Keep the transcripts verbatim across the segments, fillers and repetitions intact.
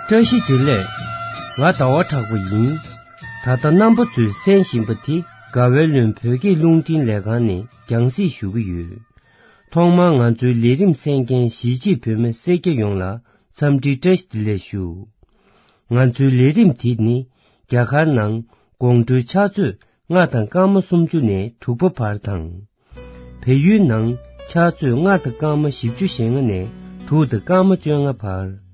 བཀྲ་ཤིས་བདེ་ལེགས། ང་ཟླ་བ་གྲགས་པ་ཡིན། ད་ལྟ་རྣམ་པ་ཚོས་གསན་བཞིན་པ་དེ་དགའ་བའི་ལོན་བོད་སྐད་རླུང་འཕྲིན་ལས་ཁང་ནས་རྒྱང་སྲིང་ཞུ་གི་ཡོད། ཐོག་མར་ང་ཚོའི་ལས་རིམ་གསན་མཁན་གཞིས་བྱེས་བོད་མི་སེར་སྐྱ་ཡོངས་ལ་འཚམས་འདྲི་བཀྲ་ཤིས་བདེ་ལེགས་ཞུ། ང་ཚོའི་ལས་རིམ་དེ་ནི་རྒྱ་གར་ནང་དགོང་དྲོའི་ཕྱག་ཚོད་ལྔ་དང་སྐར་མ་སུམ་ཅུ་ནས་དྲུག་པ་བར་དང་། བལ་ཡུལ་ནང་ཕྱག་ཚོད་ལྔ་དང་སྐར་མ་བཞི་བཅུ་ཞེ་ལྔ་ནས་དྲུག་དང་སྐར་མ་བཅོ་ལྔ་བར།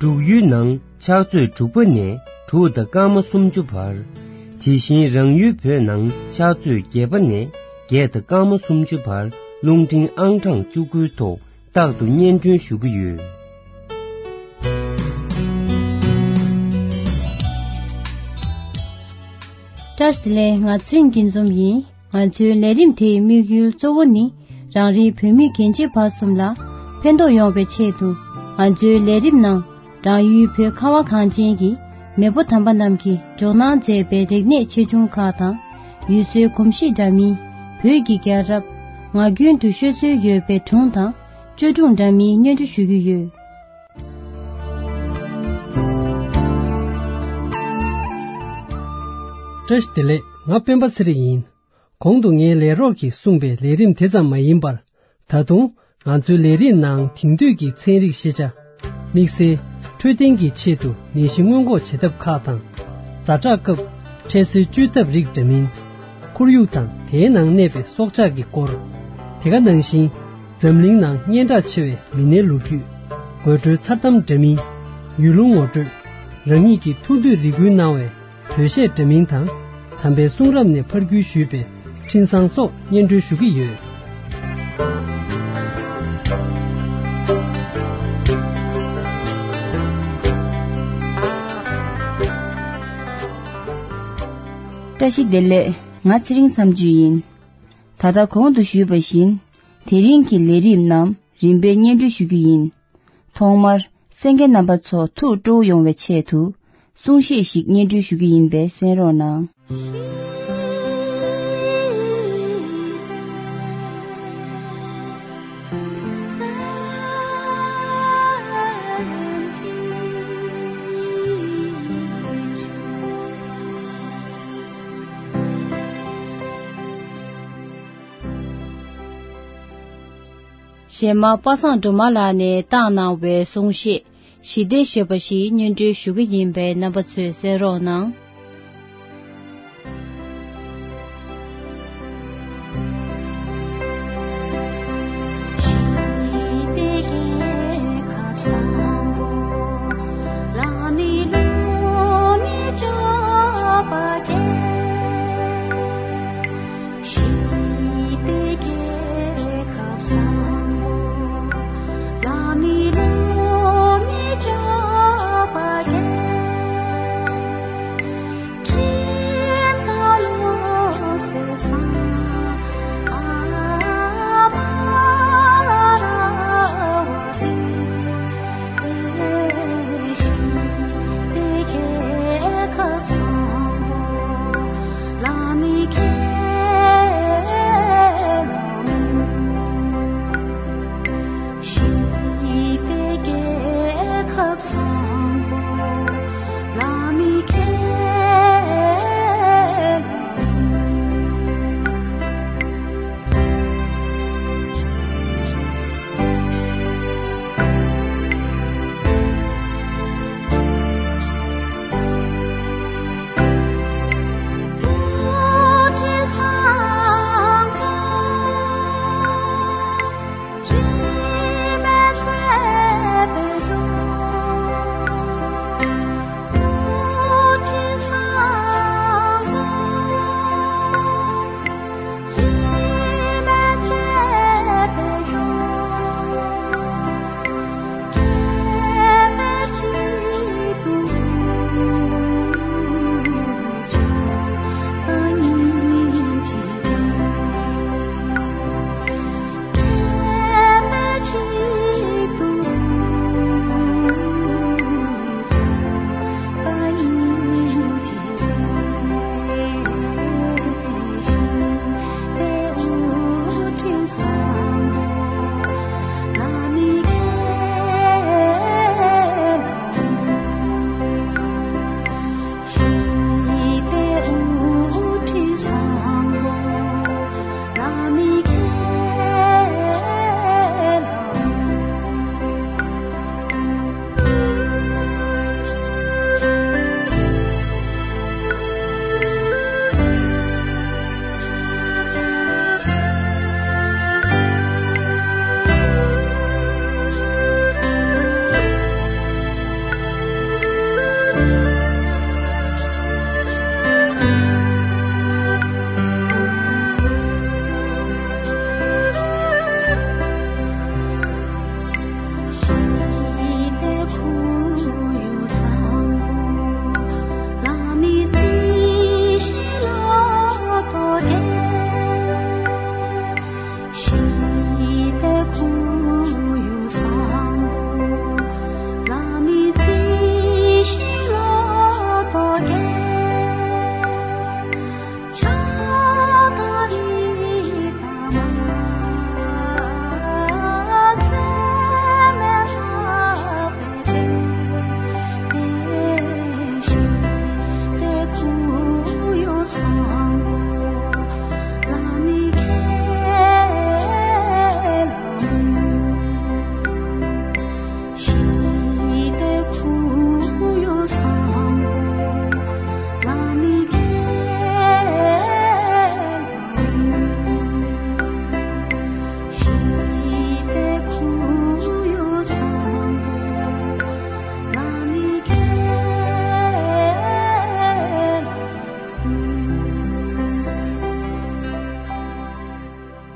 འབྲུག་ཡུལ་ནང་ཕྱག་ཚོད་དྲུག་པ་ནས་དྲུག་དང་སྐར་མ་སུམ་ཅུ་བར། དེ་བཞིན་རང་ཡུལ་བོད་ནང་ཕྱག་ཚོད་བརྒྱད་པ་ནས་བརྒྱད་དང་སྐར་མ་སུམ་ཅུ་བར་རླུང་འཕྲིན་ཨང་གྲངས་བཅུ་དགུའི་ཐོག་རྟག་ཏུ་སྙན་སྒྲོན་ཞུ་གི་ཡོད། བཀྲ་ཤིས་བདེ་ལེགས། ང་ཚེ་རིང་སྐྱིད་འཛོམས་ཡིན། ང་ཚོའི་ལས་རིམ་དེའི་དམིགས་ཡུལ་གཙོ་བོ་ནི་རང་རེའི་བོད་མི་རྒན་བྱིས་བར་གསུམ་ལ་ཕན་ཐོགས་ཡོང་བའི་ཆེད་དུ། ང་ཚོའི་ལས་རིམ་ནང་རང་ཡུལ་བོད་ཁ་བ་གངས་ཅན་གྱི་མེས་པོ་དམ་པ་རྣམས་ཀྱིས་འཇོག་གནང་མཛད་པའི་རིག་གནས་ཆེ་ཆུང་ཁག་དང་། ཡུལ་སྲོལ་གོམས་གཤིས་འདྲ་མིན། བོད་ཀྱི་རྒྱལ་རབས། ངག་རྒྱུན་དུ་ཤོད་སྲོལ་ཡོད་པའི་སྒྲུང་དང་བཅོས་སྒྲུང་འདྲ་མིན་སྙན་སྒྲོན་ཞུ་གི་ཡོད། བཀྲ་ཤིས་བདེ་ལེགས། ང་སྤེན་པ་ཚེ་རིང་ཡིན། གོང་དུ་ངའི་ལས་རོགས་ཀྱིས་གསུངས་པའི་ལས་རིམ་དེ་ཙམ་མ་ཡིན་པར། ད་དུང་ང་ཚོའི་ལས་རིམ་ནང་དེང་དུས་ཀྱི་ཚན་རིག་ཤེས་བྱ། དམིགས་བསལ་འཕྲོད་བསྟེན་གྱི་ཆེད་དུ་ནད་གཞི་སྔོན་འགོག་བྱེད་ཐབས་ཁག་དང་། ཛ་དྲག་སྐབས་འཕྲལ་སེལ་བཅོས་ཐབས་རིགས་འདྲ་མིན། ཁོར་ཡུག་དང་དེའི་ནང་གནས་པའི་སྲོག་ཆགས་ཀྱི་སྐོར། དེ་ག་ནང་བཞིན་འཛམ་གླིང་ནང་སྙན་གྲགས་ཆེ་བའི་མི་སྣའི་ལོ་རྒྱུས། དགོད་བྲོའི་མཚར་གཏམ་འདྲ་མིན། ཡུལ་ལུང་ངོ་སྤྲོད། རང་ཉིད་ཀྱི་ཐུགས་འདོད་རེ་སྐུལ་གནང་བའི་བོད་གཞས་འདྲ་མིན་དང་། དམ་པའི་གསུང་རབ་ནས་ཕར་བརྒྱུད་ཞུས་པའི་འཕྲིན་བཟང་སོགས་སྙན་སྒྲོན་ཞུ་གི་ཡོད། བཀྲ་ཤིས་བདེ་ལེགས། ང་ཚེ་རིང་བསམ་བརྗོད་ཡིན། ད་ལྟ་གོང་དུ་ཞུས་པ་བཞིན། དེ་རིང་གི་ལས་རིམ་རྣམས་རིམ་པས་སྙན་སྒྲོན་ཞུ་རྒྱུ་ཡིན། ཐོག་མར་གསན་མཁན་རྣམ་པ་ཚོ་ཐུགས་སྤྲོ་བོ་ཡོང་བའི་ཆེད་དུ་གསུང་བཤད་ཞིག་སྙན་སྒྲོན་ཞུ་རྒྱུ་ཡིན་པས་གསན་རོགས་གནང་། གཞན་མ་པ་སངས་སྒྲོལ་མ་ལགས་ནས་བཏང་གནང་བའི་གསུང་བཤད་ཞི་བདེ་ཞེས་པ་ཞིག་སྙན་སྒྲོན་ཞུ་གི་ཡིན་པས་རྣམ་པ་ཚོས་གསན་རོགས་གནང་།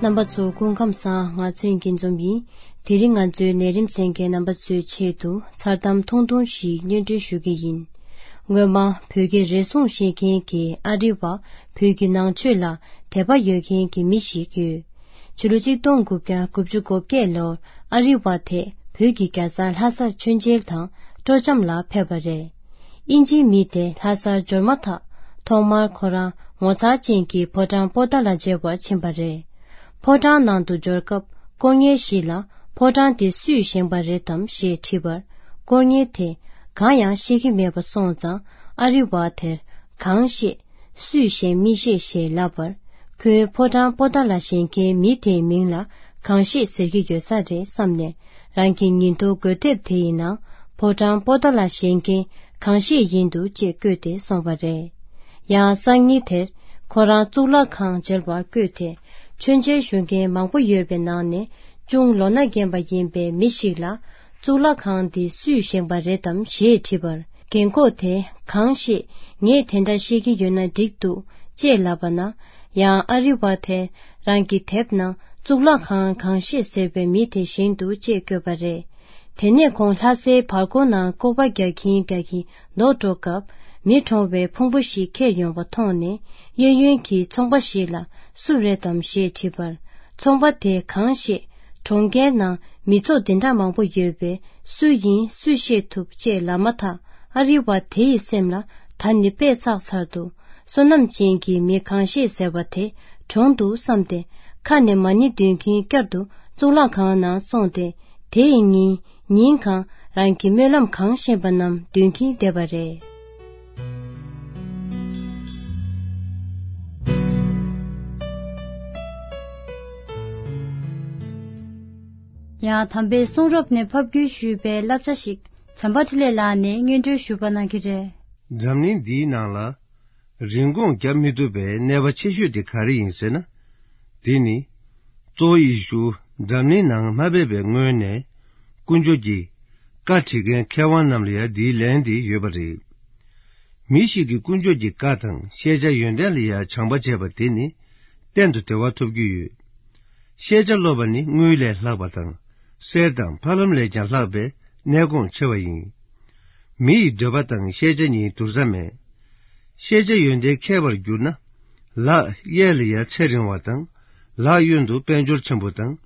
རྣམ་པ་ཚོ་སྐུ་ཁམས་བཟང་། ང་ཚེ་རིང་སྐྱིད་འཛོམས་ཡིན། དེ་རིང་ང་ཚོའི་ནད་རིམས་གསན་མཁན་རྣམ་པ་ཚོའི་ཆེད་དུ་མཚར་གཏམ་ཐུང་ཐུང་ཞིག་སྙན་སྒྲོན་ཞུ་གི་ཡིན། སྔོན་མ་བོད་ཀྱི་རེ་ཟུང་བཤད་མཁན་གྱི་ཨ་རི་བ་བོད་ཀྱི་ནང་ཆོས་ལ་དད་པ་ཡོད་མཁན་གྱི་མི་ཞིག་ཡོད། ཕྱི་ལོ་ཆིག་སྟོང་དགུ་བརྒྱ་དགུ་བཅུ་གོ་བརྒྱད་ལོར་ཨ་རི་བ་དེ་བོད་ཀྱི་རྒྱལ་ས་ལྷ་སར་མཆོད་མཇལ་དང་སྤྲོ་འཆམ་ལ་ཕེབས་པ་རེད། དབྱིན་ཇིའི་མི་དེ་ལྷ་སར་འབྱོར་མ་ཐག་ཐོག་མར་ཁོ་རང་ངོ་མཚར་ཅན་གྱི་ཕོ་བྲང་པོ་ཏཱ་ལ་མཇལ་བར་ཕྱིན་པ་རེད། ཕོ་བྲང་ནང་དུ་འབྱོར་སྐབས་སྐོར་གཉེར་ཞིག་ལ་ཕོ་བྲང་དེ་སུས་བཞེངས་པ་རེད་དམ་ཞེས་དྲིས་པར། སྐོར་གཉེར་དེས་གང་ཡང་ཤེས་ཀྱི་མེད་པ་སོང་ཙང་ཨ་རི་བ་དེར་གང་ཤེས། སུས་བཞེངས་མི་ཤེས་ཞེས་ལབ་པར། ཁོས་ཕོ་བྲང་པོ་ཏཱ་ལ་བཞེངས་མཁན་མི་དེའི་མིང་ལ་གང་ཤེས་ཟེར་གྱི་ཡོད་ས་རེད་བསམ་ནས། རང་གི་ཉིན་ཐོ་འགོད་དེབ་དེ་ཡི་ནང་ཕོ་བྲང་པོ་ཏཱ་ལ་བཞེངས་མཁན་གང་ཤེས་ཡིན་འདུག་ཅེས་བཀོད་དེ་སོང་བ་རེད། ཡང་སང་ཉིན་དེར་ཁོ་རང་གཙུག་ལག་ཁང་མཇལ་བར་བསྐྱོད་དེ། མཆོད་མཇལ་ཞུ་མཁན་མང་པོ་ཡོད་པའི་ནང་ནས་ཅུང་ལོ་ན་རྒན་པ་ཡིན་པའི་མི་ཞིག་ལ། གཙུག་ལག་ཁང་འདི་སུས་བཞེངས་པ་རེད་དམ་ཞེས་དྲིས་པར། རྒན་ཁོག་དེས་གང་ཤེས། ངས་དེ་འདྲ་བཤད་ཀྱི་ཡོད་ན་འགྲིག་འདུག་ཅེས་ལབ་པ་ན། ཡང་ཨ་རི་བ་དེས་རང་གི་དེབ་ནང་གཙུག་ལག་ཁང་གང་ཤེས་ཟེར་བའི་མི་དེ་བཞེངས་འདུག་ཅེས་བཀོད་པ་རེད། དེ་ནས་ཁོང་ལྷ་སའི་བར་སྐོར་ནང་སྐོར་བ་རྒྱག་གིན་རྒྱག་གིན་ལྡོག་འགྲོ་སྐབས། མི་གྲོངས་པའི་ཕུང་པོ་ཞིག་ཁྱེར་ཡོང་བ་མཐོང་ནས། གཡས་གཡོན་གྱི་ཚོང་པ་ཞིག་ལ་སུ་རེད་དམ་ཞེས་དྲིས་པར། ཚོང་པ་དེས་གང་ཤེས། གྲོང་ཁྱེར་ནང་མི་ཚོགས་འདི་འདྲ་མང་པོ་ཡོད་པས་སུ་ཡིན་སུས་ཤེས་ཐུབ་ཅེས་ལབ་མ་ཐག་ཨ་རི་བ་དེ་ཡི་སེམས་ལ་ད་ནི་དཔེ་བསགས་ཚར་འདུག་བསོད་ནམས་ཅན་གྱི་མི་གང་ཤེས་ཟེར་བ་དེ་གྲོངས་འདུག་བསམ་སྟེ། ཁ་ནས་མ་ཎི་འདོན་གྱིན་བསྐྱར་དུ་གཙུག་ལག་ཁང་ནང་སོང་སྟེ། དེ་ཡི་ཉིན་ཉིན་གང་རང་གི་སྨོན་ལམ་གང་ཤེས་པ་རྣམས་འདོན་གྱིན་བསྡད་པ་རེད། ཡང་དམ་པའི་གསུང་རབ་ནས་ཕབ་བསྒྱུར་ཞུས་པའི་བསླབ་བྱ་ཞིག་བྱམས་པ་འཕྲིན་ལས་ལགས་ནས་སྙན་སྒྲོན་ཞུ་བ་གནང་གི་རེད། འཛམ་གླིང་འདིའི་ནང་ལ་རིན་གོང་བརྒྱབ་མི་ཐུབ་པའི་གནད་པ་ཆེ་ཤོས་དེ་ག་རེ་ཡིན་ཟེར་ན། དེ་ནི་གཙོ་བོ་ཡེ་ཤུ་འཛམ་གླིང་ནང་མ་ཕེབས་པའི་སྔོན་ནས་དཀོན་མཆོག་གི་བཀའ་བྲི་མཁན་མཁས་དབང་རྣམས་ལ་ཡང་འདིའི་ལན་དེ་ཡོད་པ་རེད། མི་ཞིག་གིས་དཀོན་མཆོག་གི་བཀའ་དང་ཤེས་བྱ་ཡོན་ཏན་ལ་ཡང་བྱམས་པ་བྱས་པ་དེ་ནི་གཏན་དུ་བདེ་བ་ཐོབ་རྒྱུ་ཡོད། ཤེས་བྱ་སློབ་པ་ནི་དངུལ་ལས་ལྷག་པ་དང་། གསེར་དང་ཕ་ལམ་ལས་ཀྱང་ལྷག་པའི་གནས་གོང་ཆེ་བ་ཡིན། མི་ཡི་འདོད་པ་དང་ཤེས་བྱ་གཉིས་བསྡུར་ས་མེད། ཤེས་བྱ་ཡོན་ཏན་མཁས་པར་གྱུར་ན། ལག་གཡས་ལ་ཡང་ཚེ་རིང་བ་དང་། ལག་གཡོན་དུ་དཔལ་འབྱོར་ཆེན་པོ་དང་།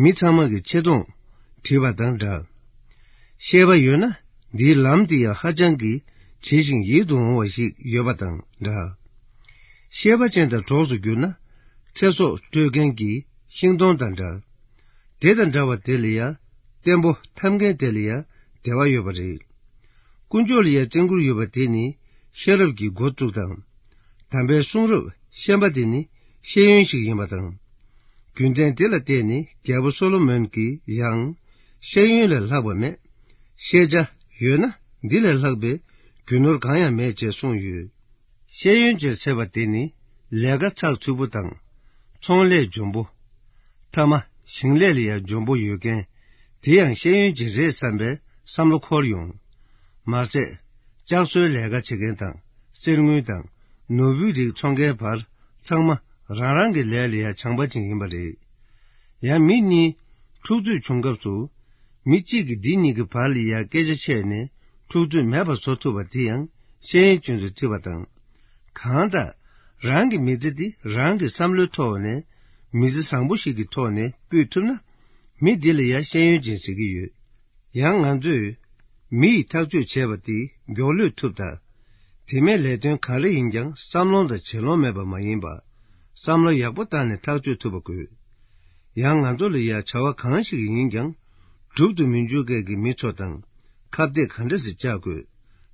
མི་ཚང་མ་གི་ཆེ་མཐོང་བྲིས་པ་དང་འདྲ། ཤེས་པ་ཡོད་ན་འདིའི་ལམ་དེ་ཡང་ཧ་ཅང་གི་ཇི་ཞིང་ཡིད་དུ་འོང་བ་ཞིག་ཡོད་པ་དང་འདྲ། ཤེས་པ་ཅན་དང་གྲོགས་སུ་གྱུར་ན། ཚེ་སྲོག་སྤྲོད་མཁན་གྱི་ཤིང་སྡོང་དང་འདྲ། དེ་དང་འདྲ་བ་དེ་ལ་ཡང་བརྟན་པོ་འཐབ་མཁན་དེ་ལ་ཡང་བདེ་བ་ཡོད་པ་རེད། དཀོན་མཆོག་ལ་ཡང་བརྩོན་འགྲུས་ཡོད་པ་དེ་ནི་ཤེས་རབ་ཀྱི་འགོ་བཙུགས་དང་། དམ་པའི་གསུང་རབ་ཤེས་པ་དེ་ནི་ཤེས་ཡོན་ཞིག་ཡིན་པ་དང་། རྒྱུ་མཚན་དེ་ལ་བརྟེན་ནས་རྒྱལ་པོ་སོ་ལོ་མོན་གྱིས་ཡང་། ཤེས་ཡོན་ལས་ལྷག་པ་མེད། ཤེས་བྱ་ཡོད་ན་འདི་ལས་ལྷག་པའི་རྒྱུ་ནོར་གང་ཡང་མེད་ཅེས་གསུངས་ཡོད། ཤེས་ཡོན་ཅེས་ཟེར་བ་དེ་ནི་ལས་ཀ་ཚགས་ཚུད་པོ་དང་། ཚོང་ལས་འཇོན་པོ། ཐ་མ་ཞིང་ལས་ལ་ཡང་འཇོན་པོ་ཡོད་མཁན། དེ་ཡང་ཤེས་ཡོན་ཅན་རེད་བསམ་པའི་བསམ་བློ་འཁོར་ཡོང་། མ་ཟད། ལྕགས་བཟོའི་ལས་ཀ་བྱེད་མཁན་དང་། གསེར་དངུལ་དང་། ནོར་བུའི་རིགས་འཚོང་མཁན་བར་ཚང་མ་རང་རང་གི་ལས་ལ་ཡང་བྱམས་པ་ཅན་ཡིན་པ་རེད། ཡང་མི་གཉིས་འཁྲུག་རྩོད་བྱུང་སྐབས་སུ། མི་གཅིག་གིས་འདི་གཉིས་ཀྱི་བར་ལ་ཡང་སྐད་ཆ་བཤད་ནས་འཁྲུག་རྩོད་མེད་པར་བཟོ་ཐུབ་པ་དེ་ཡང་ཤེས་ཡོན་ཅན་ཚོས་བརྩི་བ་དང་། གང་ལྟར། རང་གི་མི་ཚེ་འདི་རང་གི་བསམ་བློའི་ཐོག་ནས་མི་ཚེ་བཟང་པོ་ཞིག་གི་ཐོག་ནས་སྤུད་ཐུབ་ན། མི་འདི་ལ་ཡང་ཤེས་ཡོན་ཅན་ཟེར་གྱི་ཡོད། ཡང་ང་ཚོས་མི་ཡིས་ཐག་གཅོད་བྱས་པ་དེ་མགྱོགས་ལོས་ཐུབ་ད། དེ་མིན་ལས་དོན་ག་རེ་ཡིན་ཀྱང་བསམ་ལོང་དང་བྱེད་ལོང་མེད་པ་མ་ཡིན་པ། བསམ་བློ་ཡག་པོ་བཏང་ནས་ཐག་གཅོད་ཐུབ་པ་དགོས། ཡང་ང་ཚོ་ལ་ཡང་བྱ་བ་གང་ཞིག་ཡིན་ཀྱང་། སྒྲུབ་ཏུ་མི་འཇུག་མཁན་གྱི་མི་ཚོ་དང་། ཁ་གཏད་ག་འདྲ་ཞིག་བཅག་དགོས།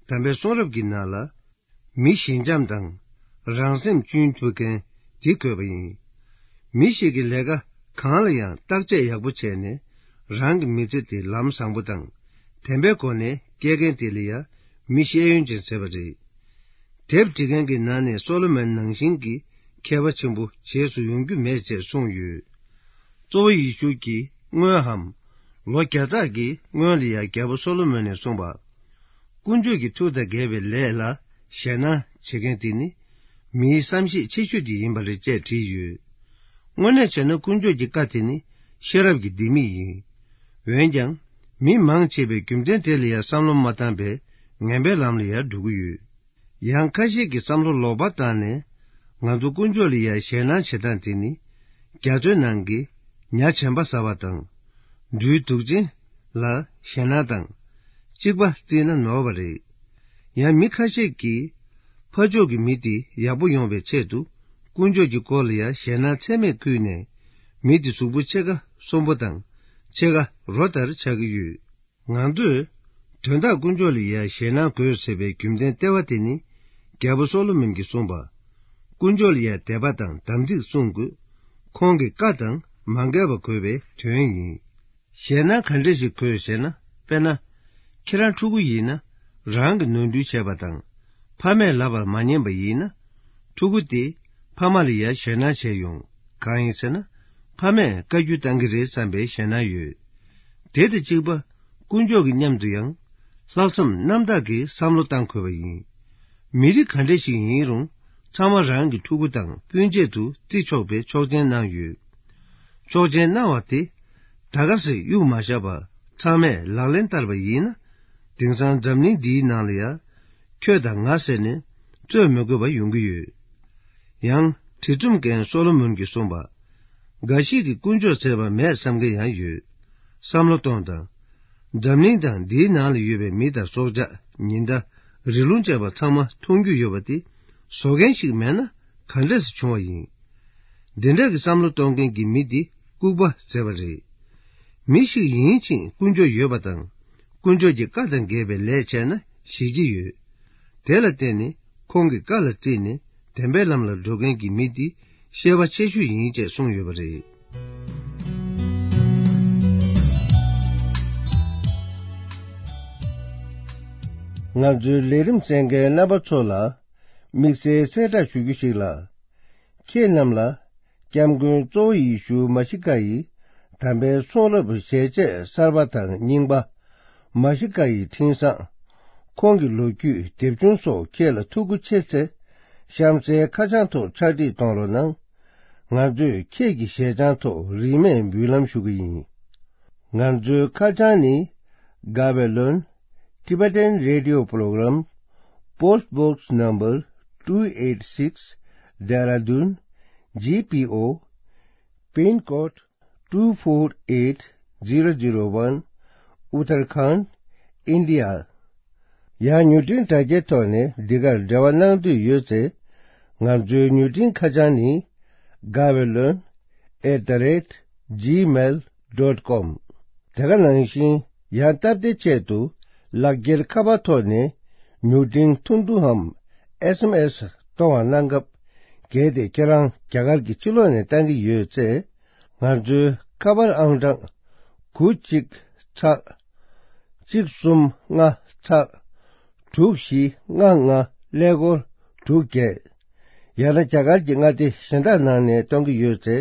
དམ་པའི་གསུང་རབ་ཀྱི་ནང་ལ། མི་ཞི་འཇམ་དང་། རང་སེམས་གཅུན་ཐུབ་མཁན་དེ་དགོས་པ་ཡིན། མི་ཞིག་གིས་ལས་ཀ་གང་ལ་ཡང་བརྟག་དཔྱད་ཡག་པོ་བྱས་ནས། རང་གི་མི་ཚེ་དེ་ལམ་བཟང་པོ་དང་། བདེན་པའི་སྒོ་ནས་སྐྱེལ་མཁན་དེ་ལ་ཡང་མི་ཤེས་ཡོན་ཅན་ཟེར་བ་རེད། དེབ་འབྲི་མཁན་གྱི་ནང་ནས་སོ་ལོ་མོན་ནང་བཞིན་གྱི་མཁས་པ་ཆེན་པོ་རྗེས་སུ་ཡོང་རྒྱུ་མེད་ཅེས་གསུངས་ཡོད། གཙོ་བོ་ཡེ་ཤུ་གྱིས་སྔོན་འམ། ལོ་བརྒྱ་ཕྲག་གི་སྔོན་ལ་ཡང་རྒྱལ་པོ་སོ་ལོ་མོན་ནས་གསུངས་པ། དཀོན་མཆོག་གི་ཐུགས་དང་འགལ་བའི་ལས་ལ་ཞེད་སྣང་བྱེད་མཁན་དེ་ནི་མིའི་བསམ་ཤེས་ཆེ་ཤོས་དེ་ཡིན་པ་རེད་ཅེས་བྲིས་ཡོད། དངོས་གནས་བྱས་ན་དཀོན་མཆོག་གི་བཀའ་དེ་ནི་ཤེས་རབ་ཀྱི་ལྡེ་མིག་ཡིན། འོན་ཀྱང་། མི་མང་ཆེ་བས་རྒྱུ་མཚན་དེ་ལ་ཡང་བསམ་བློ་མ་བཏང་བས་ངན་པའི་ལམ་ལ་ཡང་འགྲོ་གི་ཡོད། ཡང་ཁ་ཤས་ཀྱིས་བསམ་བློ་ལོག་པ་བཏང་ནས། ང་ཚོ་དཀོན་མཆོག་ལ་ཡང་ཞེད་སྣང་བྱེད་སྟངས་དེ་ནི། རྒྱ་མཚོའི་ནང་གི་ཉ་གྱེན་པ་ཟ་བ་དང་། སྦྲུལ་དུག་ཅན་ལ་ཞེད་སྣང་དང་། གཅིག་པ་བརྩིས་ན་ནོར་བ་རེད། ཡང་མི་ཁ་ཤས་ཀྱིས། ཕར་ཕྱོགས་ཀྱི་མི་དེ་ཡག་པོ་ཡོང་བའི་ཆེད་དུ། དཀོན་མཆོག་གི་སྐོར་ལ་ཡང་ཞེད་སྣང་ཚད་མེད་བསྐུལ་ནས། མི་དེ་གཟུགས་པོ་ཕྱེད་ཀ་གསོན་པོ་དང་། ཕྱེད་ཀ་རོ་ལྟར་ཆགས་ཀྱི་ཡོད། ང་ཚོས། དོན་དག་དཀོན་མཆོག་ལ་ཡང་ཞེད་སྣང་དགོས་ཟེར་བའི་རྒྱུ་མཚན་ལྟེ་བ་དེ་ནི། རྒྱལ་པོ་སོ་ལོ་མོན་གྱིས་གསུངས་པ། དཀོན་མཆོག་ལ་ཡང་དད་པ་དང་དམ་ཚིག་སྲུང་དགོས། ཁོང་གི་བཀའ་དང་མ་འགལ་བ་དགོས་པའི་དོན་ཡིན། ཞེད་སྣང་ག་འདྲ་ཞིག་དགོས་ཟེར་ན། དཔེར་ན། ཁྱེད་རང་ཕྲུ་གུ་ཡིན་ན། རང་གི་ནོར་འཁྲུལ་བྱས་པ་དང་། ཕ་མས་ལབ་པར་མ་ཉན་པ་ཡིན་ན། ཕྲུ་གུ་དེས་ཕ་མ་ལ་ཡང་ཞེད་སྣང་བྱས་ཡོང་། གང་ཡིན་ཟེར་ན། ཕ་མས་བཀའ་བཀྱོན་བཏང་གི་རེད་བསམ་པའི་ཞེད་སྣང་ཡོད། དེ་དང་གཅིག་པ། དཀོན་མཆོག་གི་མཉམ་དུ་ཡང་། ལྷག་བསམ་རྣམ་དག་གིས་བསམ་བློ་བཏང་དགོས་པ་ཡིན། མི་རིགས་ག་འདྲ་ཞིག་ཡིན་རུང་། ཚང་མ་རང་གི་ཕྲུ་གུ་དང་སྤུན་མཆེད་དུ་བརྩི་ཆོག་པའི་ཆོག་མཆན་གནང་ཡོད། ཆོག་མཆན་གནང་བ་དེ། ད་ག་སེ་གཡུག་མ་བཞག་པར་ཚང་མས་ལག་ལེན་བསྟར་བ་ཡིན་ན། དེང་སང་འཛམ་གླིང་འདིའི་ནང་ལ་ཡང་། ཁྱོད་དང་ང་ཟེར་ནས་རྩོད་མི་དགོས་པ་ཡོང་གི་ཡོད། ཡང་བྲིས་རྩོམ་མཁན་སོ་ལོ་མོན་གྱིས་གསུངས་པ། འགའ་ཞིག་གིས་དཀོན་མཆོག་ཟེར་བ་མེད་བསམ་མཁན་ཡང་ཡོད། བསམ་བློ་གཏོང་དང་། འཛམ་གླིང་དང་འདིའི་ནང་ལ་ཡོད་པའི་མི་དང་སྲོག་ཆགས། ཉི་ཟླ། རི་ཀླུང་བཅས་པ་ཚང་མ་མཐོང་རྒྱུ་ཡོད་པ་དེ། བཟོ་མཁན་ཞིག་མེད་ན་ག་འདྲས་སེ་བྱུང་བ་ཡིན། འདི་འདྲ་གི་བསམ་བློ་གཏོང་མཁན་གྱི་མི་འདི་ལྐུགས་པ་ཟེར་བ་རེད། མི་ཞིག་ཡིན་ཕྱིན་དཀོན་མཆོག་ཡོད་པ་དང་། དཀོན་མཆོག་གི་བཀའ་དང་འགལ་བའི་ལས་བྱས་ན་ཞེད་ཀྱི་ཡོད། དེ་ལ་བརྟེན་ནས་ཁོང་གི་བཀའ་ལ་བརྩིས་ནས་བདེན་པའི་ལམ་ལ་འགྲོ་མཁན་གྱི་མི་འདི་ཤེས་པ་ཆེ་ཤོས་ཡིན་ཅེས་གསུངས་ཡོད་པ་རེད། ང་ཚོའི་ལས་རིམ་གསན་མཁན་རྣམ་པ་ཚོ་ལ་དམིགས་བསལ་གསལ་བསྒྲགས་ཞུ་རྒྱུ་ཞིག་ལ། ཁྱེད་རྣམས་ལ། སྐྱབས་མགོན་གཙོ་བོ་ཡེ་ཤུ་མ་ཤི་ཀ་ཡི་དམ་པའི་གསུང་རབ་ཞལ་ཆད་གསར་པ་དང་རྙིང་པ། མ་ཤི་ཀ་ཡི་འཕྲིན་བཟང་། ཁོང་གི་ལོ་རྒྱུས་དེབ་ཆུང་སོགས་ཁྱེད་ལ་ཐུགས་མཁོ་ཆེ་ཚེ། གཤམ་གསལ་ཁ་བྱང་ཐོག་ཕྱག་བྲིས་གཏོང་རོགས་གནང་། ང་ཚོས་ཁྱེད་ཀྱི་ཞལ་བྱང་ཐོག་རིན་མེད་འབུལ་ལམ་ཞུ་གི་ཡིན། ང་ཚོའི་ཁ་བྱང་ནི། Gavelon Tibetan Radio Program, Post Box Number two eight six, Dehradun, G P O, Pin Code two four eight zero zero one, Uttarakhand, India. ཡང་མྱུར་འཕྲིན་དྲ་རྒྱའི་ཐོག་ནས་འདི་གར་འབྲེལ་བ་གནང་འདོད་ཡོད་ཚེ། ང་ཚོའི་མྱུར་འཕྲིན་ཁ་བྱང་ནི། Gavelon at the rate gmail dot com. དེ་ག་ནང་བཞིན་ཡང་སྟབས་བདེའི་ཆེད་དུ་ལག་འཁྱེར་ཁ་པར་ཐོག་ནས་མྱུར་འཕྲིན་ཐུང་ཐུང་འམ་S M S གཏོང་བ་གནང་སྐབས། གལ་ཏེ་ཁྱེད་རང་རྒྱ་གར་གྱི་ཕྱི་ལོགས་ནས་བཏང་གི་ཡོད་ཚེ། ང་ཚོའི་ཁ་པར་ཨང་གྲངས་དགུ་གཅིག་ཚེག་གཅིག་གསུམ་ལྔ་ཚེག་དྲུག་བཞི་ལྔ་ལྔ་ཀླད་ཀོར་དྲུག་བརྒྱད། ཡང་ན་རྒྱ་གར་གྱི་མངའ་སྡེ་གཞན་དག་ནང་ནས་གཏོང་གི་ཡོད་ཚེ།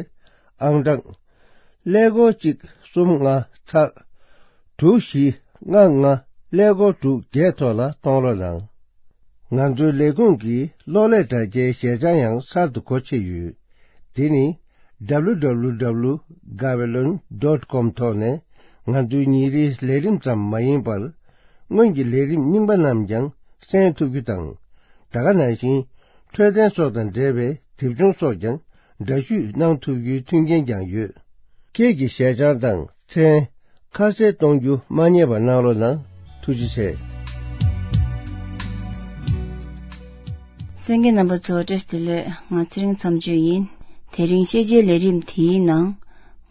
ཨང་གྲངས་ཀླད་ཀོར་གཅིག་གསུམ་ལྔ་ཚེག་དྲུག་བཞི་ལྔ་ལྔ་ཀླད་ཀོར་དྲུག་བརྒྱད་ཐོག་ལ་གཏོང་རོགས་གནང་། ང་ཚོའི་ལས་ཁུངས་ཀྱི་གློག་ཀླད་དྲ་རྒྱའི་ཞལ་བྱང་ཡང་གསར་དུ་སྒོ་ཕྱེ་ཡོད། དེ་ནི། W W W Gavelon dot com ཐོག་ནས་ང་ཚོའི་ཉིན་རེའི་ལས་རིམ་ཙམ་མ་ཡིན་པར། སྔོན་གྱི་ལས་རིམ་རྙིང་པ་རྣམས་ཀྱང་གསན་ཐུབ་རྒྱུ་དང་། ད་ག་ནང་བཞིན། འཕྲོད་བསྟེན་སོགས་དང་འབྲེལ་བའི་དེབ་ཆུང་སོགས་ཀྱང་འདྲ་བཤུས་གནང་ཐུབ་རྒྱུའི་མཐུན་རྐྱེན་ཀྱང་ཡོད། ཁྱེད་ཀྱི་ཞལ་བྱང་དང་མཚན། ཁ་གསལ་གཏོང་རྒྱུ་མ་བསྙེལ་བ་གནང་རོགས་གནང་། ཐུགས་རྗེ་ཆེ། གསན་མཁན་རྣམ་པ་ཚོ་བཀྲ་ཤིས་བདེ་ལེགས། ང་ཚེ་རིང་མཚམས་གཅོད་ཡིན། དེ་རིང་ཤེས་བྱའི་ལས་རིམ་དེའི་ནང་།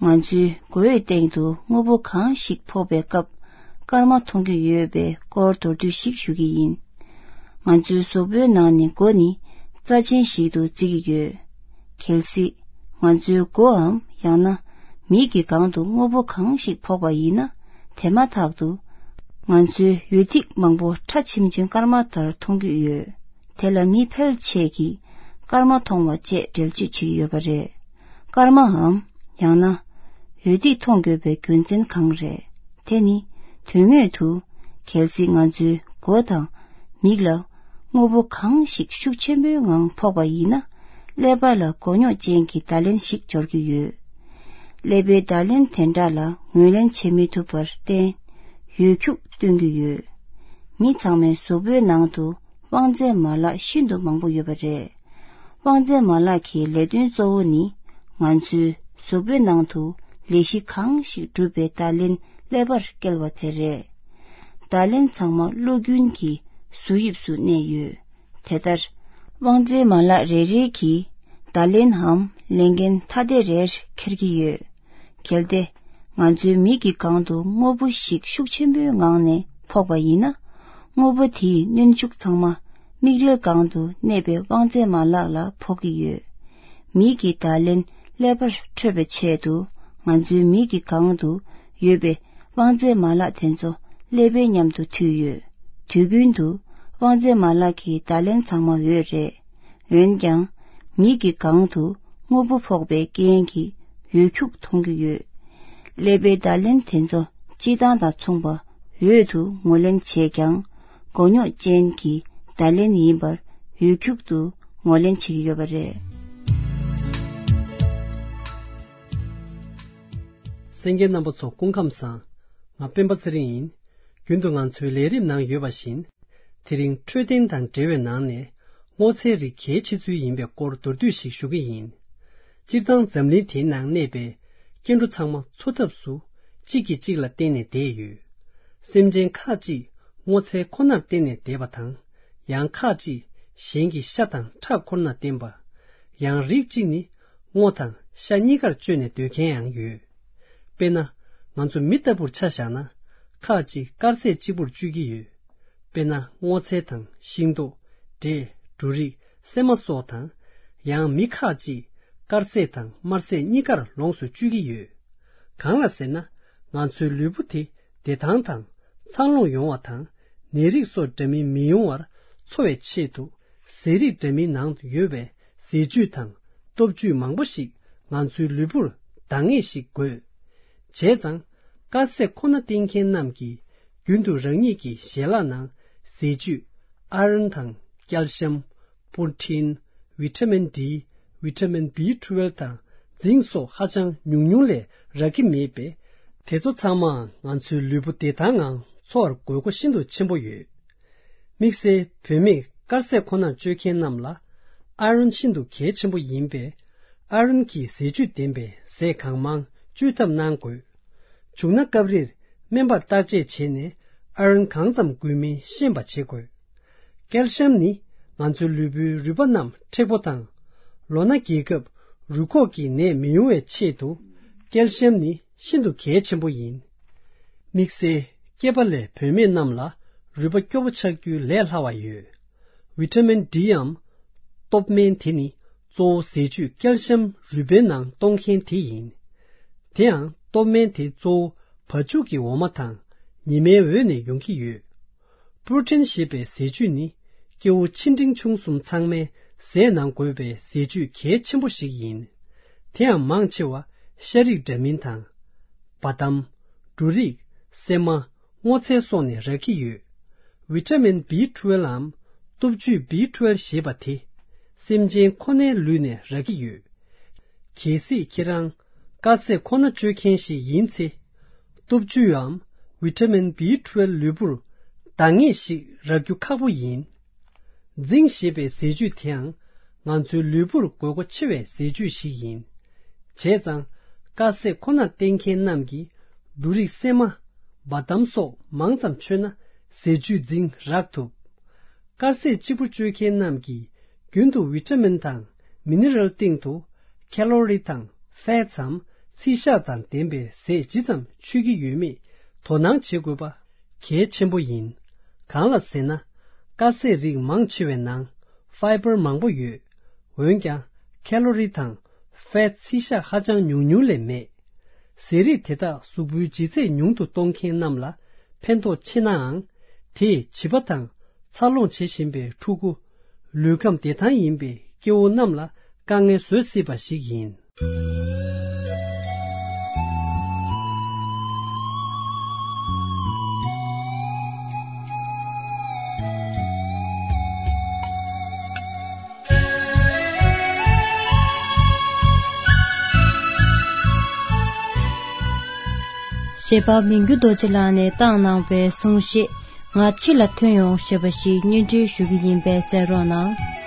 ང་ཚོའི་མགོ་བོའི་སྟེང་དུ་དངོས་པོ་གང་ཞིག་ཕོག་པའི་སྐབས། སྐར་མ་མཐོང་རྒྱུ་ཡོད་པའི་སྐོར་མདོར་བསྡུས་ཤིག་ཞུ་གི་ཡིན། ང་ཚོའི་གཟུགས་པོའི་ནང་ནས་མགོ་ནི་རྩ་ཆེན་ཞིག་ཏུ་བརྩི་གི་ཡོད། གལ་སྲིད་ང་ཚོའི་མགོའམ་ཡང་ན་མིག་གི་སྒང་དུ་དངོས་པོ་གང་ཞིག་ཕོག་པ་ཡིན་ན། དེ་མ་ཐག་ཏུ་ང་ཚོའི་འོད་ཐིག་མང་པོ་ཁྲ་ཆེམ་ཆེམ་སྐར་མ་ལྟར་མཐོང་རྒྱུ་ཡོད། དེ་ལ་མི་ཕལ་ཆེར་གྱིས་སྐར་མ་མཐོང་བ་བཅས་འགྲེལ་བརྗོད་བྱེད་ཀྱི་ཡོད་པ་རེད། སྐར་མའམ་ཡང་ན་འོད་ཐིག་མཐོང་དགོས་པའི་རྒྱུ་མཚན་གང་རེད། དེ་ནི་དོན་དངོས་དུ་གལ་སྲིད་ང་ཚོའི་མགོ་དང་མིག་ལ་དངོས་པོ་གང་ཞིག་ཤུགས་ཆེན་པོའི་ངང་ཕོག་པ་ཡིན་ན། ཀླད་པ་ལ་མགོ་རྙོག་ཅན་གྱི་བརྡ་ལན་ཞིག་འབྱོར་གྱི་ཡོད། ཀླད་པའི་བརྡ་ལན་དེ་འདྲ་ལ་ངོས་ལེན་བྱེད་མི་ཐུབ་པར་བརྟེན། འོད་འཁྱུག་སྟོན་གྱི་ཡོད། མི་ཚང་མའི་གཟུགས་པོའི་ནང་དུ་དབང་རྫས་མ་ལག་ཤིན་ཏུ་མང་པོ་ཡོད་པ་རེད། དབང་རྫས་མ་ལག་གི་ལས་དོན་གཙོ་བོ་ནི། ང་ཚོའི་གཟུགས་པོའི་ནང་དུ་ལས་གཞི་གང་ཞིག་གྲུབ་པའི་བརྡ་ལན་ཀླད་པར་བསྐྱལ་བ་དེ་རེད། བརྡ་ལན་ཚང་མ་གློ་རྒྱུན་གྱི་གཟུགས་དབྱིབས་སུ་གནས་ཡོད། དེ་ལྟར། དབང་རྫས་མ་ལག་རེ་རེ་གིས་བརྡ་ལན་འམ་ལས་འགན་ཐ་དད་རེར་འཁྱེར་གྱི་ཡོད། གལ་ཏེ། ང་ཚོའི་མིག་གི་སྒང་དུ་དངོས་པོ་ཞིག་ཤུགས་ཆེན་པོའི་ངང་ནས་ཕོག་པ་ཡིན་ན། དངོས་པོ་དེའི་གནོན་ཤུགས་ཚང་མ་མིག་རིལ་སྒང་དུ་གནས་པའི་དབང་རྫས་མ་ལག་ལ་ཕོག་གི་ཡོད། མིག་གི་བརྡ་ལན་ཀླད་པར་འཕྲོད་པའི་ཆེད་དུ། ང་ཚོའི་མིག་གི་སྒང་དུ་ཡོད་པའི་དབང་རྫས་མ་ལག་དེ་ཚོ་ཀླད་པའི་མཉམ་དུ་མཐུད་ཡོད། དུས་རྒྱུན་དུ་དབང་རྫས་མ་ལག་གི་བརྡ་ལན་ཚང་མ་འོད་རེད། འོན་ཀྱང་། མིག་གི་སྒང་དུ་དངོས་པོ་ཕོག་པའི་རྐྱེན་གྱིས་འོད་འཁྱུག་མཐོང་གི་ཡོད། ཀླད་པའི་བརྡ་ལན་དེ་ཚོ་སྤྱིར་བཏང་དང་མཚུངས་པ་འོད་དུ་ངོས་ལེན་བྱས་ཀྱང་། མགོ་རྙོག་ཅན་གྱི་བརྡ་ལན་ཡིན་པར་འོད་འཁྱུག་ཏུ་ངོས་ལེན་བྱེད་ཀྱི་ཡོད་པ་རེད། གསན་མཁན་རྣམ་པ་ཚོ་སྐུ་ཁམས་བཟང་། ང་སྤེན་པ་ཚེ་རིང་ཡིན། རྒྱུན་དུ་ང་ཚོའི་ལས་རིམ་ནང་ཡོད་པ་བཞིན། དེ་རིང་འཕྲོད་བསྟེན་དང་འབྲེལ་བའི་ནང་ནས་སྔོ་ཚལ་རིགས་གལ་ཆེ་ཚུལ་ཡིན་པའི་སྐོར་མདོར་བསྡུས་ཤིག་ཞུ་གི་ཡིན། སྤྱིར་བཏང་འཛམ་གླིང་དེའི་ནང་གནས་པའི་སྐྱེ་འགྲོ་ཚང་མ་འཚོ་ཐབས་སུ་གཅིག་གིས་གཅིག་ལ་བརྟེན་ནས་བསྡད་ཡོད། སེམས་ཅན་ཁག་ཅིག་སྔོ་ཚལ་ཁོ་ནར་བརྟེན་ནས་བསྡད་པ་དང་། ཡང་ཁག་ཅིག་གཞན་གྱི་ཤ་དང་ཁྲག་ཁོ་ནར་བརྟེན་པ། ཡང་རིགས་གཅིག་ནི་སྔོ་དང་ཤ་གཉིས་ཀར་སྤྱོད་ནས་སྡོད་མཁན་ཡང་ཡོད། དཔེར་ན། ང་ཚོ་མི་ལྟ་བུར་ཆ་བཞག་ན། ཁག་ཅིག་དཀར་ཟས་གཅིག་པུར་སྤྱོད་ཀྱི་ཡོད། དཔེར་ན། སྔོ་ཚལ་དང་ཤིང་ཏོག་འབྲས། འབྲུ་རིགས། སྲན་མ་སོགས་དང་། ཡང་མི་ཁག་ཅིག་དཀར་ཟས་དང་དམར་ཟས་གཉིས་ཀར་ལོངས་སུ་སྤྱོད་ཀྱི་ཡོད། གང་ལ་ཟེར་ན། ང་ཚོའི་ལུས་པོ་དེ་བདེ་ཐང་དང་འཚར་ལོངས་ཡོང་བ་དང་། ནད་རིགས་སོགས་འདྲ་མིན་མི་ཡོང་བར་འཚོ་བའི་ཆེད་དུ། ཟས་རིགས་འདྲ་མིན་ནང་དུ་ཡོད་པའི་ཟས་བཅུད་དང་སྟོབས་བཅུད་མང་པོ་ཞིག་ང་ཚོའི་ལུས་པོར་འདང་ངེས་ཤིག་དགོས། བྱས་ཙང་། དཀར་ཟས་ཁོ་ན་བསྟེན་མཁན་རྣམས་ཀྱིས་རྒྱུན་དུ་རང་ཉིད་ཀྱི་ཞལ་ལག་ནང་ཟས་བཅུད་ཨ་རོན་དང་ཀལ་ཤམ། པོར་ཊིན། ཝི་ཊ་མིན་ཌི། ཝི་ཊ་མིན་བི་ཊུ་ཝེལ་དང་རྫིང་སོགས་ཧ་ཅང་ཉུང་ཉུང་ལས་རག་གི་མེད་པས། དེ་ཚོ་ཚང་མའང་ང་ཚོའི་ལུས་པོ་བདེ་ཐང་ངང་འཚོ་བར་དགོས་མཁོ་ཤིན་ཏུ་ཆེན་པོ་ཡོད། དམིགས་བསལ་བུད་མེད་དཀར་ཟས་ཁོ་ནར་སྤྱོད་མཁན་རྣམས་ལ་ཨ་རོན་ཤིན་ཏུ་གལ་ཆེན་པོ་ཡིན་པས། ཨ་རོན་གྱི་ཟས་བཅུད་ལྡན་པའི་ཟས་གང་མང་སྤྱོད་ཐབས་གནང་དགོས། བྱུང་ན་སྐབས་རེར་སྨན་པར་བརྟག་དཔྱད་བྱས་ནས་ཨ་རོན་གང་ཙམ་དགོས་མིན་ཤེས་པ་བྱེད་དགོས། ཀལ་ཤམ་ནི་ང་ཚོའི་ལུས་པོའི་རུས་པ་རྣམས་མཁྲེགས་པོ་དང་། ལོ་ན་རྒས་སྐབས་རུས་ཁོག་གི་ནད་མི་ཡོང་བའི་ཆེད་དུ། ཀལ་ཤམ་ནི་ཤིན་ཏུ་གལ་ཆེན་པོ་ཡིན། དམིགས་བསལ་སྐྱེས་པ་ལས་བུད་མེད་རྣམས་ལ་རུས་པ་སྐྱོ་པོ་ཆགས་རྒྱུའི་ལས་སླ་བ་ཡོད། ཝི་ཊ་མིན་ཌིའམ་སྟོབས་སྨན་དེ་ནི་གཙོ་བོ་ཟས་བཅུད་ཀལ་ཤམ་རུས་པའི་ནང་གཏོང་མཁན་དེ་ཡིན། དེའང་སྟོབས་སྨན་དེ་གཙོ་བོ་བ་ཕྱུགས་ཀྱི་འོ་མ་དང་ཉི་མའི་འོད་ནས་ཡོང་གི་ཡོད། པོར་ཊིན་ཞེས་པའི་ཟས་བཅུད་ནི་སྐྱེ་བོ་ཆེ་འབྲིང་ཆུང་གསུམ་ཚང་མའི་ཟས་ནང་དགོས་པའི་ཟས་བཅུད་གལ་ཆེན་པོ་ཞིག་ཡིན། དེའང་མང་ཆེ་བ་ཤ་རིགས་འདྲ་མིན་དང་། བ་དམ། འབྲུ་རིགས། སྲན་མ། སྔོ་ཚལ་སོགས་ནས་རག་གི་ཡོད། ཝི་ཊ་མིན་བི་ཊུ་ཝེལ་ལའམ་སྟོབས་བཅུད་བི་ཊུ་ཝེལ་ཞེས་པ་དེ་སེམས་ཅན་ཁོ་ནའི་ལུས་ནས་རག་གི་ཡོད། གལ་སྲིད་ཁྱེད་རང་དཀར་ཟས་ཁོ་ན་སྤྱོད་མཁན་ཞིག་ཡིན་ཚེ། སྟོབས་བཅུད་འམ་ཝི་ཊ་མིན་བི་ཊུ་ཝེལ་ལུས་པོར་འདང་ངེས་ཤིག་རག་རྒྱུ་ཁག་པོ་ཡིན། རྫིང་ཞེས་པའི་ཟས་བཅུད་དེའང་ང་ཚོའི་ལུས་པོར་དགོས་མཁོ་ཆེ་བའི་ཟས་བཅུད་ཞིག་ཡིན། བྱས་ཙང་། དཀར་ཟས་ཁོ་ནར་བརྟེན་མཁན་རྣམས་ཀྱིས་འབྲུ་རིགས་སྲན་མ། བ་དམ་སོགས་མང་ཙམ་མཆོད་ན་ཟས་བཅུད་རྫིང་རག་ཐུབ། དཀར་ཟས་གཅིག་པུ་སྤྱོད་མཁན་རྣམས་ཀྱིས་རྒྱུན་དུ་ཝི་ཊ་མིན་དང་མི་ནི་རལ་སྟེང་དུ་ཁེ་ལོ་རི་དང་ཕེ་ཊི་སམ་ཚིལ་ཤ་དང་ལྡན་པའི་ཟས་ཇི་ཙམ་མཆོད་ཀྱི་ཡོད་མེད་དོ་སྣང་བྱེད་དགོས་པ་གལ་ཆེན་པོ་ཡིན། གང་ལ་ཟེར་ན། དཀར་ཟས་རིགས་མང་ཆེ་བའི་ནང་ཕའི་བར་མང་པོ་ཡོད། འོན་ཀྱང་ཁེ་ལོ་རི་དང་ཕེ་ཊི་ཚིལ་ཤ་ཧ་ཅང་ཉུང་ཉུང་ལས་མེད། ཟས་རིགས་དེ་དག་གཟུགས་པོའི་ལྗིད་ཚད་ཉུང་དུ་གཏོང་མཁན་རྣམས་ལ་ཕན་ཐོགས་ཆེ་ནའང་། དེས་བྱིས་པ་དང་འཚར་ལོངས་བྱེད་བཞིན་པའི་ཕྲུ་གུ། ལུས་ཁམས་བདེ་ཐང་ཡིན་པའི་སྐྱེ་བོ་རྣམས་ལ་དཀའ་ངལ་བཟོ་སྲིད་པ་ཞིག་ཡིན། འབྲེལ་པ་མི་འགྱུར་རྡོ་རྗེ་ལགས་ནས་བཏང་གནང་བའི་གསུང་བཤད། ང་འཆི་ལ་ཐོན་ཡོང་ཞེས་པ་ཞིག་སྙན་སྒྲོན་ཞུ་གི་ཡིན་པས་གསན་རོགས་གནང་།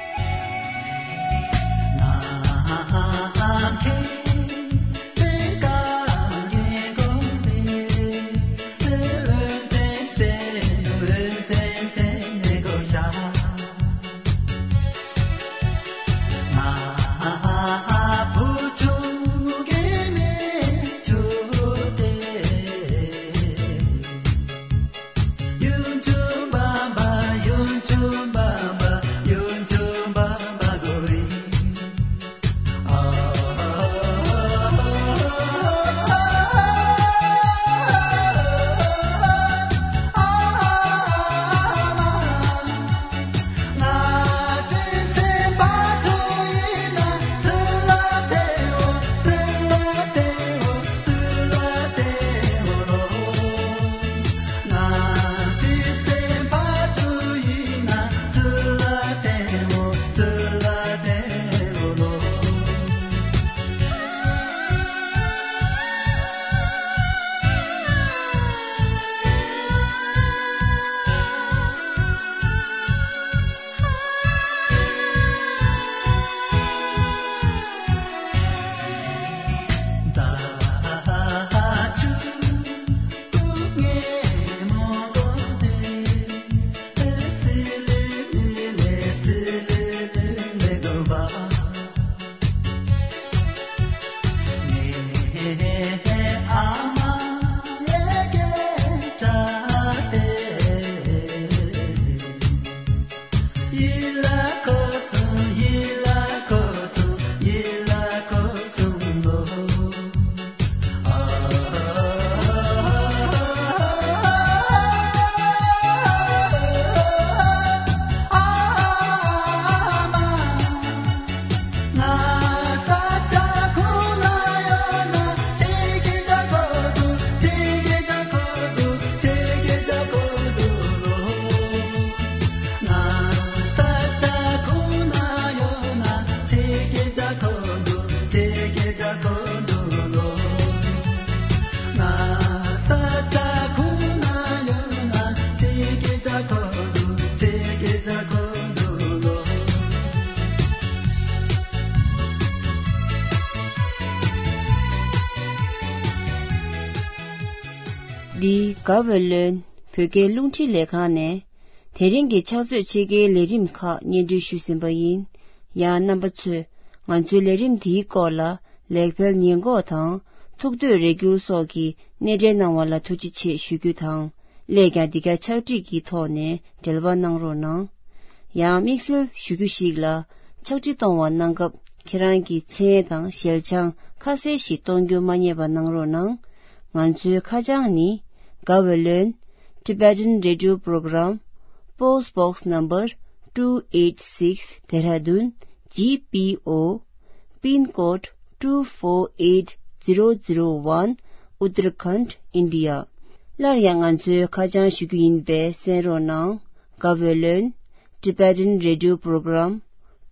འདི་ག་བོད་ལོན་བོད་སྐད་རླུང་འཕྲིན་ལས་ཁང་ནས། དེ་རིང་གི་ཕྱག་ཚོད་ཕྱེད་ཀའི་ལས་རིམ་ཁག་སྙན་སྒྲོན་ཞུས་ཟིན་པ་ཡིན། ཡང་རྣམ་པ་ཚོས་ང་ཚོའི་ལས་རིམ་འདིའི་སྐོར་ལ་ལེགས་སྤེལ་ཉེས་འགོག་དང་ཐུགས་འདོད་རེ་སྐུལ་སོགས་ཀྱི་སྣེ་འདྲེན་གནང་བ་ལ་ཐུགས་རྗེ་ཆེ་ཞུ་རྒྱུ་དང་། སླད་ཀྱང་འདི་ག་ཕྱག་བྲིས་ཀྱི་ཐོག་ནས་འབྲེལ་བ་གནང་རོགས་གནང་། ཡང་དམིགས་བསལ་ཞུ་རྒྱུ་ཞིག་ལ། ཕྱག་བྲིས་གཏོང་བ་གནང་སྐབས་ཁྱེད་རང་གི་མཚན་དང་ཞལ་བྱང་ཁ་གསལ་ཞིག་གཏོང་རྒྱུ་མ་བསྙེལ་བ་གནང་རོགས་གནང་། ང་ཚོའི་ཁ་བྱང་ནི། Gaweylon Tibetan Radio Program, Post Box Number two eight six, Dehradun, G P O, Pin Code two four eight zero zero one, Uttarakhand, India. སླར་ཡང་ང་ཚོའི་ཁ་བྱང་ཞུ་རྒྱུ་ཡིན་པས་གསན་རོགས་གནང་། Gaweylon Tibetan Radio Program,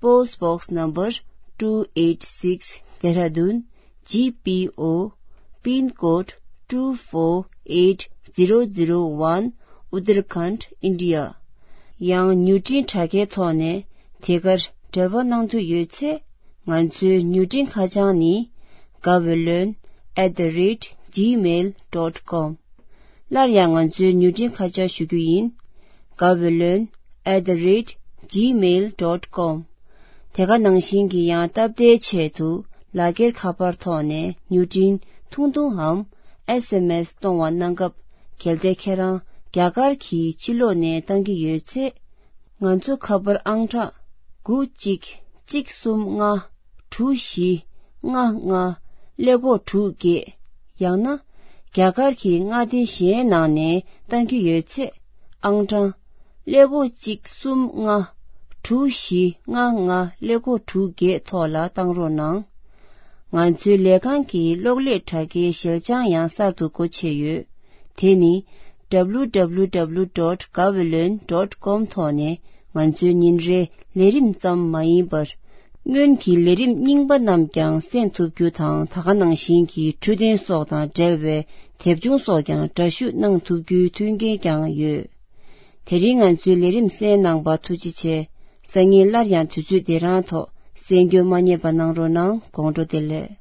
Post Box Number two eight six, Dehradun, G P O, Pin Code two four eight zero zero one, Uttarakhand, India. ཡང་མྱུར་འཕྲིན་དྲ་རྒྱའི་ཐོག་ནས་དེ་གར་འབྲེལ་བ་གནང་འདོད་ཡོད་ཚེ། ང་ཚོའི་མྱུར་འཕྲིན་ཁ་བྱང་ནི། Gaweylon at the rate gmail dot com. སླར་ཡང་ང་ཚོའི་མྱུར་འཕྲིན་ཁ་བྱང་ཞུ་རྒྱུ་ཡིན། Gaweylon at the rate gmail dot com. དེ་ག་ནང་བཞིན་གྱི་ཡང་སྟབས་བདེའི་ཆེད་དུ་ལག་འཁྱེར་ཁ་པར་ཐོག་ནས་མྱུར་འཕྲིན་ཐུང་ཐུང་འམ་S M S གཏོང་བ་གནང་སྐབས། གལ་ཏེ་ཁྱེད་རང་རྒྱ་གར་གྱི་ཕྱི་ལོགས་ནས་བཏང་གི་ཡོད་ཚེ། ང་ཚོ་ཁ་པར་ཨང་གྲངས་དགུ་གཅིག་གཅིག་གསུམ་ལྔ་དྲུག་བཞི་ལྔ་ལྔ་ཀླད་ཀོར་དྲུག་བརྒྱད། ཡང་ན་རྒྱ་གར་གྱི་མངའ་སྡེ་གཞན་ནང་ནས་བཏང་གི་ཡོད་ཚེ། ཨང་གྲངས་ཀླད་ཀོར་གཅིག་གསུམ་ལྔ་དྲུག་བཞི་ལྔ་ལྔ་ཀླད་ཀོར་དྲུག་བརྒྱད་ཐོག་ལ་བཏང་རོགས་གནང་། ང་ཚོའི་ལས་ཁང་གི་གློག་ཀླད་དྲ་རྒྱའི་ཞལ་བྱང་ཡང་གསར་དུ་སྒོ་ཕྱེ་ཡོད། དེ་ནི། W W W dot gaweylon dot com ཐོག་ནས་ང་ཚོའི་ཉིན་རེའི་ལས་རིམ་ཙམ་མ་ཡིན་པར། སྔོན་གྱི་ལས་རིམ་རྙིང་པ་རྣམས་ཀྱང་གསན་ཐུབ་རྒྱུ་དང་། ད་ག་ནང་བཞིན་གྱི་འཕྲོད་བསྟེན་སོགས་དང་འབྲེལ་བའི་ དེབ་ཆུང་སོགས་ཀྱང་འདྲ་བཤུས་གནང་ཐུབ་རྒྱུའི་མཐུན་རྐྱེན་ཀྱང་ཡོད། དེ་རིང་ང་ཚོའི་ལས་རིམ་གསན་གནང་བར་ཐུགས་རྗེ་ཆེ། སང་ཉིན་སླར་ཡང་དུས་ཚོད་འདི་རང་ཐོག་གསན་རྒྱུ་མ་བསྙེལ་བ་གནང་རོགས་གནང་། དགོང་དྲོ་བདེ་ལེགས།